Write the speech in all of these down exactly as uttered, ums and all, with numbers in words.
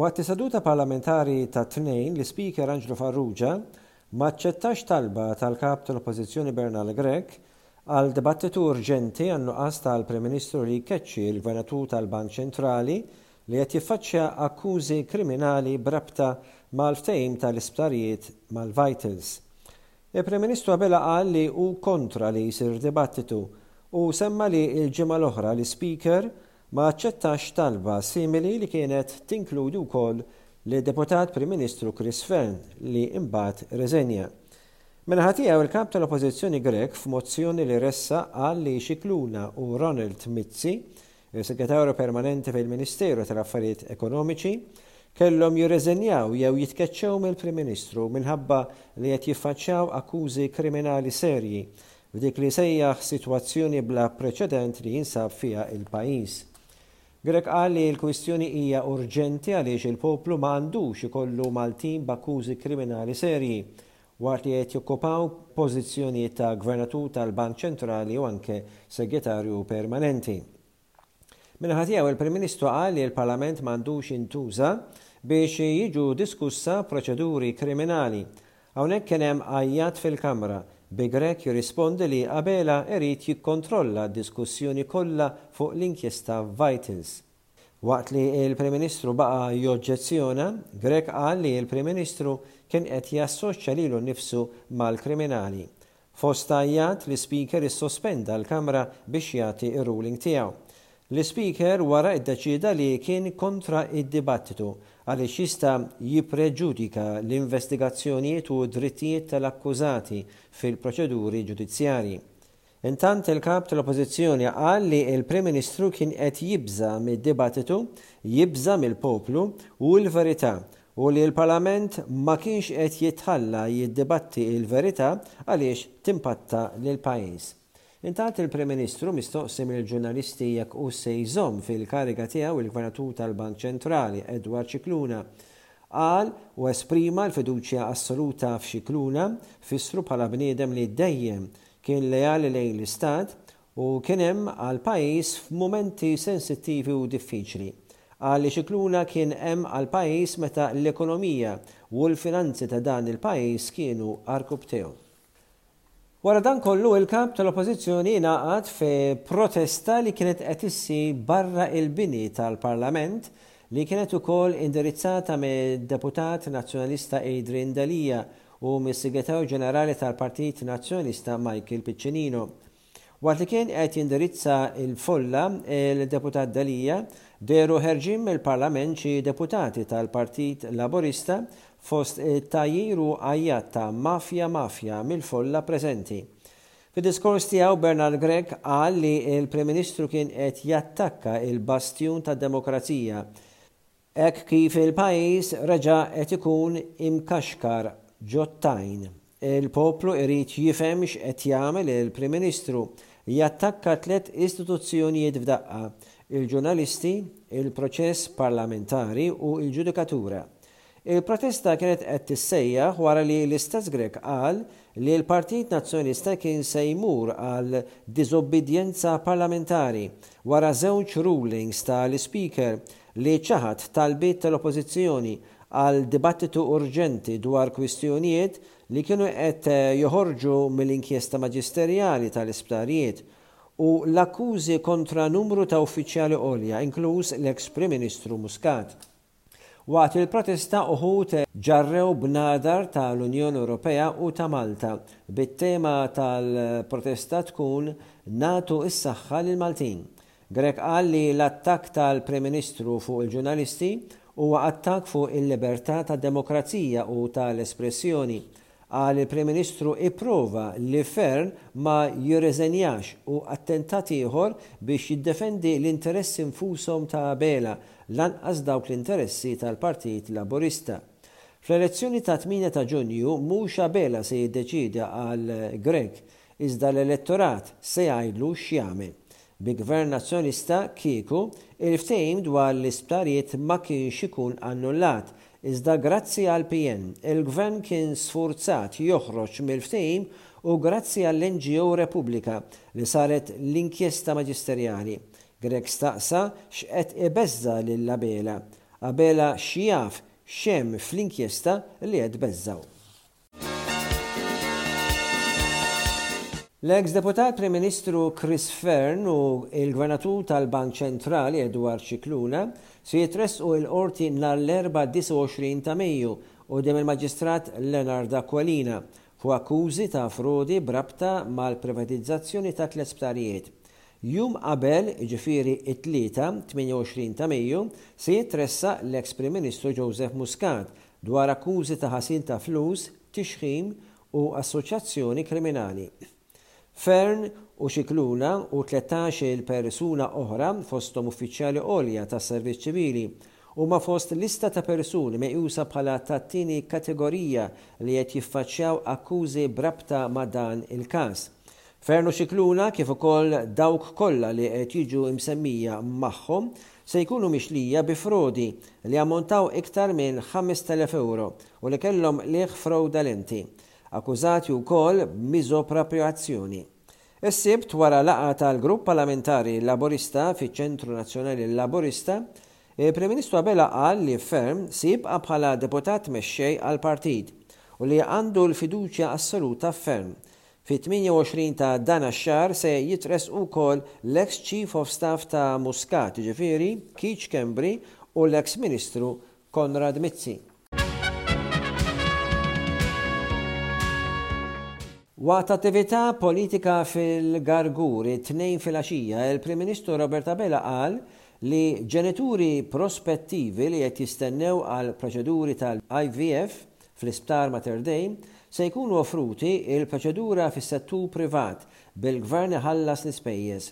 Waqt is-seduta parlamentari tat-Tnejn, l-Ispeaker Anġlu Farrugia ma aċċettax talba tal-Kap tal-Oppożizzjoni Bernard Grech għal dibattitu urġenti għan-nuqqas tal-Prim Ministru li jkeċċi l-Gvernatur tal-Bank Ċentrali li qed jiffaċċja akkużi kriminali b'rabta mal-ftehim tal-isptarijiet mal-Vitals. Il-Prim Ministru Abela qal li hu kontra li jsir dibattitu u semma li l-ġimgħa l-oħra l-Ispeaker ma aċċettax talba simili li kienet tinkludi wkoll lid-Deputat Prim Ministru Chris Fearne li imbagħad rreżenja. Min-naħa tiegħu, il-Kap tal-Oppożizzjoni Grech, f'mozzjoni li ressaq, qal li Scicluna u Ronald Mizzi, il-Segretarju Permanenti fil-Ministeru tal-Affarijiet Ekonomiċi, kellhom jirreżenjaw jew jitkeċċew mill-Prim Ministru minħabba li qed jiffaċċjaw akkużi kriminali serji f'dik li sejjaħ sitwazzjoni bla preċedent li jinsab fiha il-pajjiż. Grech qal li l-kwistjoni hija urġenti għaliex il-poplu ma għandux ikollu Maltin b'akkużi kriminali serji waqt li qed jokkupaw pożizzjonijiet ta' Gvernatur tal-Bank Ċentrali u anke Segretarju Permanenti. Min-naħa tiegħu, il-Prim Ministru qal li l-Parlament m'għandux jintuża biex jiġu diskussa proċeduri kriminali. Hawnhekk kien hemm għajjat fil-Kamra, bi Grech jirrispondi li Abela irid jikkontrolla d-diskussjoni kollha fuq l-inkjesta Vitals. Waqt li l-Prim Ministru baqa' joġġezzjona, Grech qal li l-Prim Ministru kien qed jassoċja lilu nnifsu mal-kriminali. Fost għajjat, l-Ispeaker issospenda l-Kamra biex jagħti r-ruling tiegħu. L-Ispeaker wara iddeċieda li kien kontra id-dibattitu għaliex jista' jippreġudika l-investigazzjonijiet u d-drittijiet tal-akkużati fil-proċeduri ġudizzjarji. Intant, il-Kap tal-Oppożizzjoni qal li l-Prim Ministru kien qed jibża' mid-dibattitu, jibża' mill-poplu u l-verità u li l-Parlament ma kienx qed jitħalla jiddibatti l-verità għaliex timpatta lill-pajjiż. Intant, il-Prim Ministru, mistoqsi mill-ġurnalisti jekk hu se jżomm fil-kariga tiegħu il-Gvernatur tal-Bank Ċentrali Edward Scicluna, qal u esprima l-fiduċja assoluta f'Scicluna, fissru bħala bniedem li dejjem kien leali lejn l-Istat u kien hemm għall-pajjiż f'mumenti sensittivi u diffiċli. Qal li Scicluna kien hemm għall-pajjiż meta l-ekonomija u l-finanzi ta' dan il-pajjiż kienu għarkupptejhom. Wara dan kollu, il-Kap tal-Oppożizzjoni ingħaqad fi protesta li kienet qed issir barra il-bini tal-Parlament, li kienet ukoll indirizzata mid-Deputat Nazzjonalista Adrian Delia u mis-Segretarju Ġenerali tal-Partit Nazzjonalista Michael Piccinino. Waqt li kien qed jindirizza il-folla il-Deputat Delia, dehru ħerġin mill-Parlament xi deputati tal-Partit Laburista fost tgħajjir u għajjat ta' "mafja, mafja" mill-folla preżenti. Fid-diskors tiegħu, Bernard Grech qal li l-Prim Ministru kien qed jattakka il-bastjun tad-demokrazija hekk kif il-pajjiż reġa' qed ikun imkaxkar ġot-tajn. Il-poplu irid jifhem x'qed jagħmel il-Prim Ministru: jattakka tliet istituzzjonijiet f'daqqa, il-ġurnalisti, il-proċess parlamentari u l-ġudikatura. Il-protesta kienet qed tissejjaħ wara li l-istess Grech qal li l-Partit Nazzjonalista kien se jmur għal diżobbedjenza parlamentari wara żewġ rulings tal-Ispeaker li ċaħad talbiet tal-Oppożizzjoni għal dibattitu urġenti dwar kwistjonijiet li kienu qed joħorġu mill-inkjesta maġisterjali tal-isptarijiet u l-akkużi kontra numru ta' uffiċjali għolja, inkluż l-ex Prim Ministru Muscat. Waqt il-protesta uħud ġarrew bnadar tal-Unjoni Ewropea u ta' Malta, bit-tema tal-protesta tkun "Nagħtu s-saħħa lil Maltin". Grech qal li l-attakk tal-Prim Ministru fuq il-ġurnalisti huwa attakk fuq il-libertà tad-demokrazija u tal-espressjoni. Qal il-Prim Ministru ipprova li Fearne ma jirreżenjax u attentat ieħor biex jiddefendi l-interessi nfushom ta' Abela, lanqas dawk l-interessi tal-Partit Laburista. Fl-elezzjoni ta' tmienja ta' Ġunju mhux Abela se jiddeċidi, għal Grech, iżda l-elettorat se jgħidlu x'jagħmel. Bi gvern Nazzjonalista kieku il-ftehim dwar l-isptarijiet ma kienx ikun annullat, iżda grazzi għal P N il-gvern kien sfurzat joħroġ mill-ftehim u grazzi għall-N G O Repubblika li saret l-inkjesta maġisterjali. Grech staqsa x'qed ibeżża lil Abela. Abela x'jaf x'hemm fl-inkjesta li qed tbeżżgħu. L-eks Deputat Prim Ministru Chris Fearne u l-Gvernatur tal-Bank Ċentrali Edward Scicluna se jitressqu l-Qorti nhar l-Erbgħa disgħa u għoxrin ta' Mejju quddiem il-Maġistrat Leonard Aquilina fuq akkużi ta' frodi b'rabta mal-privatizzazzjoni ta' tliet sptarijiet. Jum qabel, jiġifieri t-Tlieta, tmienja u għoxrin ta' Mejju, se jitressaq l-eks Prim Ministru Joseph Muscat dwar akkużi ta' ħasil ta' flus, tixħim u assoċjazzjoni kriminali. Fearne u Scicluna u tlettax-il persuna oħra, fosthom uffiċjali għolja tas-Servizz Ċivili, huma fost lista ta' persuni meqjusa bħala tat-tieni kategorija li qed jiffaċċjaw akkużi b'rabta ma' dan il-każ. Fearne u Scicluna, kif ukoll dawk kollha li qed jiġu msemmija magħhom, se jkunu mixlija bi frodi li ammontaw iktar minn ħamest elef euro u li kellhom qligħ frodalenti. Akkużati wkoll b'miżopraprjazzjoni. Is-Sibt, wara laqgħa tal-Grupp Parlamentari Laburista fiċ-Ċentru Nazzjonali Laburista, il-Prim Ministru Abela qal li Fearne se jibqa' bħala deputat mexxej għall-partit u li għandu l-fiduċja assoluta f'Fearne. Fit-tmienja u għoxrin ta' dan ix-xahar se jitressqu wkoll l-ex Chief of Staff ta' Muscat, jiġifieri Keith Schembri, u l-ex Ministru Konrad Mizzi. Waqt attività politika fil-Gargur it-Tnejn filgħaxija, il-Prim Ministru Robert Abela qal li ġenituri prospettivi li qed jistennew għal proċeduri tal-I V F fl-Isptar Mater Dei se jkunu offruti il-proċedura fis-settur privat bil-gvern iħallas l-ispejjeż.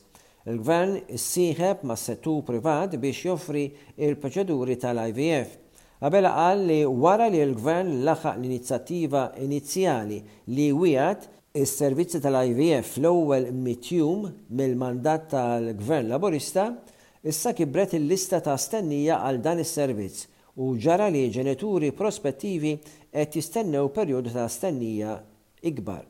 Il-gvern issieħeb mas-settur privat biex joffri il-proċeduri tal-I V F. Abela qal li wara li l-gvern laħaq l-inizjattiva inizjali li wiegħed is-servizzi tal-I V F fl-ewwel mitt jum mill-mandat tal-Gvern Laburista, issa kibret il-lista ta' stennija għal dan is-servizz u ġara li ġenituri prospettivi qed jistennew perjodu ta' stennija ikbar.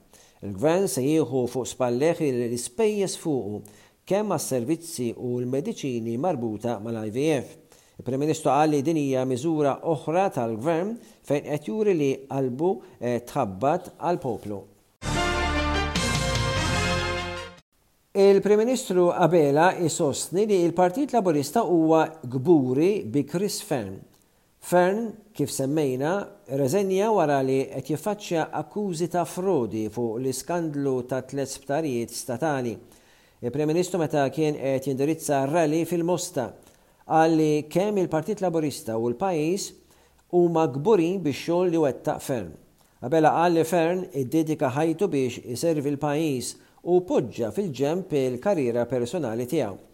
Il-gvern se jieħu fuq spalleh l-ispejjeż fuqu kemm għas-servizzi u l-mediċini marbuta mal-I V F. Il-Prim Ministru qal li din hija miżura oħra tal-gvern fejn qed juri li qalbu tħabbat għall-poplu. Il-Prim Ministru Abela isostni li l-Partit Laburista huwa kburi bi Chris Fearne. Fearne, kif semmejna, reżenja wara li qed jiffaċċja akkużi ta' frodi fuq l-iskandlu ta' tliet sptarijiet statali. Il-Prim Ministru meta kien qed jindirizza rally fil-Mosta qal li kemm il-Partit Laburista u l-pajjiż huma kburin bix-xogħol li wettaq Fearne. Abela qal li Fearne iddedika ħajtu biex iservi l-pajjiż u poġġa fil-ġenb il-karriera personali tiegħu.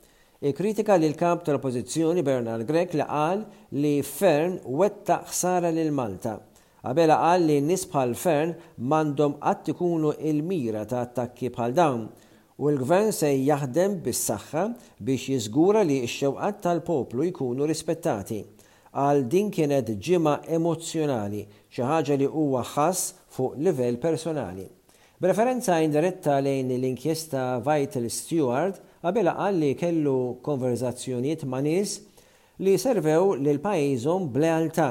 Ikkritika lil kap tal-Oppożizzjoni Bernard Grech li qal li Fearne wettaq ħsara lil Malta. Abela qal li nies bħal Fearne m'għandhom qatt ikunu il-mira ta' attakki bħal dawn u l-gvern se jaħdem bis-saħħa biex jiżgura li x-xewqat tal-poplu jkunu rispettati. Qal din kienet ġimgħa emozzjonali, xi ħaġa li huwa ħass fuq livell personali. B'referenza indiretta lejn l-inkjesta Vital Steward, Abela qal li kellu konverzazzjonijiet ma' nies li servew lil pajjiżhom b'lealtà.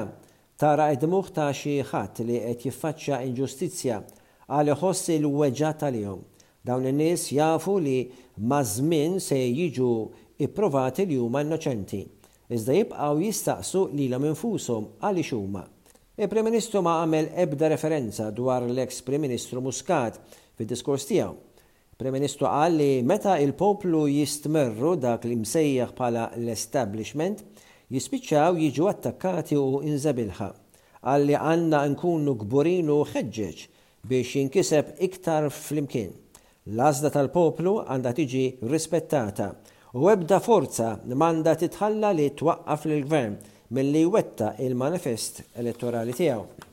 Tara id-dmuħ ta' xi ħadd li qed jiffaċċja inġustizzja għal iħoss il-weġgħa tal-jum. Dawn in-nies jafu li maż-żmien se jiġu ipprovati li huma innoċenti, iżda jibqgħu jistaqsu lilhom infushom għaliex huma. Il-Prim Ministru ma għamel ebda referenza dwar l-eks Prim Ministru Muscat fid-diskors tiegħu. Il-Prim Ministru qal li meta il-poplu jistmerru dak li msejjaħ bħala l-establishment, jispiċċaw jiġu attakkati u inżabilħa. Qal li għandna nkunu kburin u ħeġġeġ biex jinkiseb iktar flimkien. L-għażla tal-poplu għandha tiġi rispettata u ebda forza m'għandha titħalla li twaqqaf lill-gvern milli jwettaq il-manifest elettorali tiegħu.